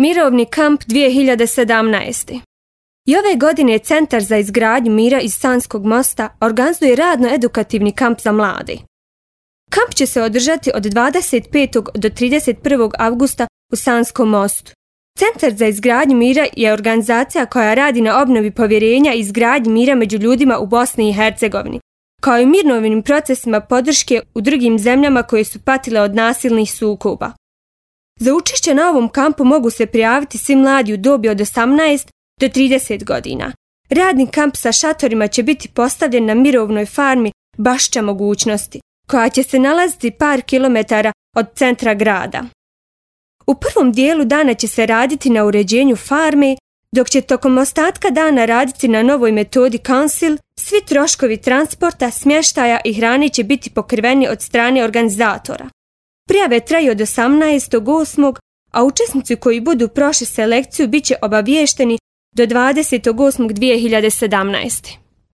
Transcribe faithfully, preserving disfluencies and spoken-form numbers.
Mirovni kamp dvije hiljade sedamnaeste. I ove godine Centar za izgradnju mira iz Sanskog mosta organizuje radno-edukativni kamp za mlade. Kamp će se održati od dvadeset petog do trideset prvog avgusta u Sanskom mostu. Centar za izgradnju mira je organizacija koja radi na obnovi povjerenja i izgradnji mira među ljudima u Bosni i Hercegovini, kao i mirovnim procesima podrške u drugim zemljama koje su patile od nasilnih sukoba. Za učešće na ovom kampu mogu se prijaviti svi mladi u dobi od osamnaest do trideset godina. Radni kamp sa šatorima će biti postavljen na mirovnoj farmi Bašća mogućnosti, koja će se nalaziti par kilometara od centra grada. U prvom dijelu dana će se raditi na uređenju farme, dok će tokom ostatka dana raditi na novoj metodi Council. Svi troškovi transporta, smještaja i hrane će biti pokriveni od strane organizatora. Prijave traju od osamnaestog osmog a učesnici koji budu prošli selekciju bit će obaviješteni do dvadesetog osmog dvije hiljade sedamnaeste.